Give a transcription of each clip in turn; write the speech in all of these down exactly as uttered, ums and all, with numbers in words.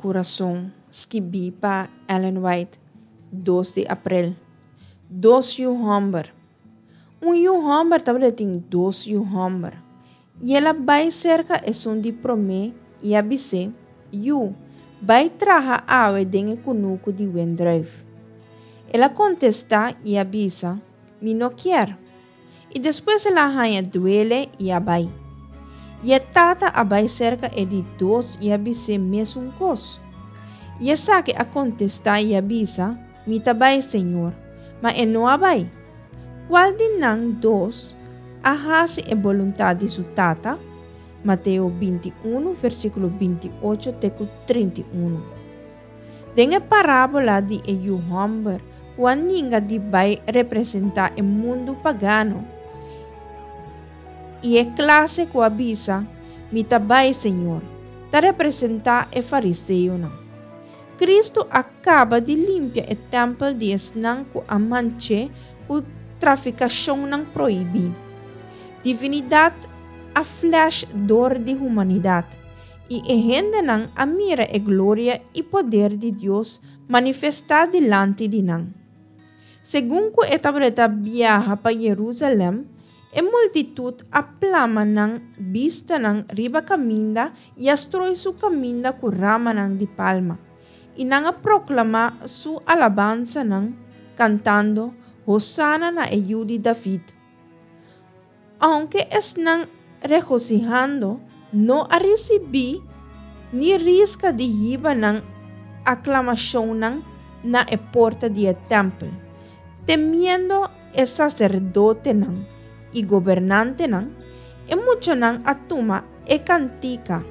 Kurason, skibí pa Ellen White, dos di aprel. Dos yu hòmber. Un yu hòmber tabatin dos yu hòmber. I el a bai serka esun di promé i a bis'é, Yu, bai traha awe den e kunuku di wendrùif. El a kontestá i a bisa, Mi no kier. I despues el a haña duele i a bai. I e tata a bai serka e di dos i a bis'é mesun kos. I esaki a kontestá i a bisa, Mi ta bai, Señor, ma e no a bai. Kual di nan dos a hasi e boluntat di su tata? Mateo binti i un, versíkulo binti i ocho te ku trinta i un. Den e parábola di e yu hòmber ku a ninga di bai representá e mundu pagano i e klase ku a bisa, Mi ta bai, Señor, ta representá e fariseonan. Kristu a kaba di limpia e tèmpel di esnan ku a manch'é ku trafikashonnan prohibí. Divinidat a flash dor di humanidat, i e hendenan a mira e gloria i poder di Dios manifestá dilanti di nan. Segun ku e tabata biaha pa Jerusalèm, e multitut a plama nan bistanan riba kaminda i a stroi su kaminda ku ramanan di palma. I nan a proklamá su alabansanan, kantando, Hosana na e yu di David. Ounke esnan regosihando no a risibí ni riska di hiba nan aklamashonnan na e porta di e tèmpel, temiendo e saserdotenan i gobernantenan, e muchanan a tuma e kantika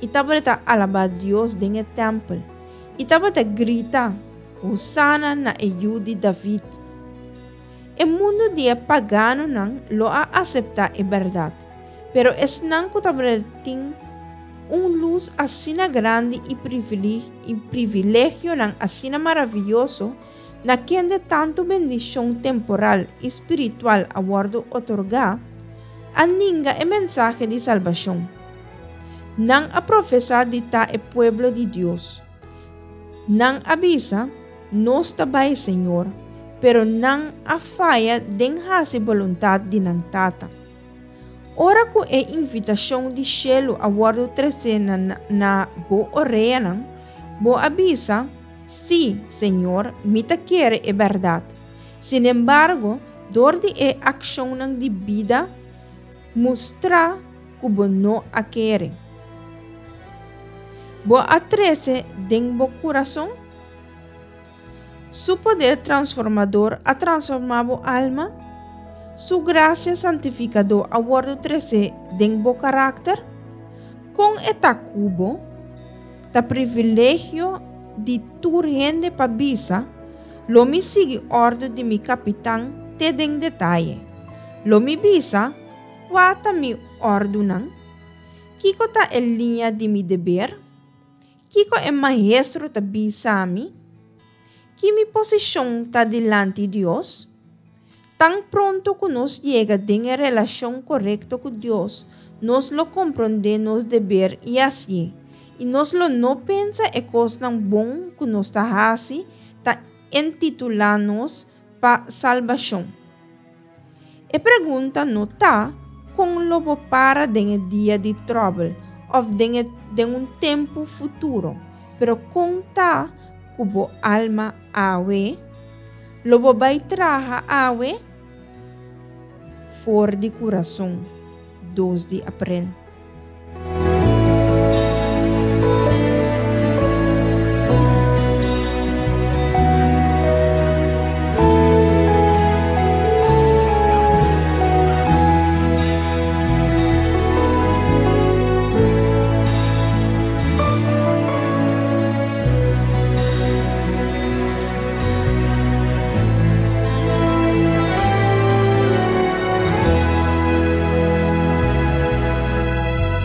i tabata alabá Dios den e tèmpel, i tabata grita, Hosana na e yu di David. E mundu di e paganonan lo a aseptá e bèrdat, pero esnan ku tabatin un lus asina grandi i privilegionan asina maravioso, na kende tantu bendishon temporal i spiritual a wòrdu otorgá, a ninga e mensahe di salbashon. Nan a profesá di ta e pueblo di Dios. Nan a bisa, Nos ta bai, Señor, pero nan a faya den hasi boluntat di nan tata. Ora ku e invitashon di shelu a wòrdu tresé na, na bo oreanan, bo a bisa, Sí, Señor, mi ta kere e bèrdat. Sin embargo, dor di e akshonnan di bida, mustra ku bo no a kere. Bo a trese den bo kurason? Su poder transformador a transformá bo alma? Su grasia santifikadó a wòrdu tresé den bo karakter? Kon e ta ku bo? Ta privilegio di tur hende pa bisa, Lo mi sigui òrdu di mi kapitan te den detaye. Lo mi bisa, Kua ta mi òrdunan? Kiko ta e liña di mi deber? Kiko e maestro ta bisa mi? Ki mi posishon ta dilanti Dios? Tan pronto ku nos yega den e relashon korekto ku Dios, nos lo komprondé nos deber i hasié, i nos lo no pensa e kosnan bon ku nos ta hasi ta entitulá nos pa salbashon. E pregunta no ta kon lo bo para den e dia di tròbel òf den e den un tempu futuro, pero kon ta ku bo alma awe? Lo bo bai traha awe? For di Kurason, dos di aprel.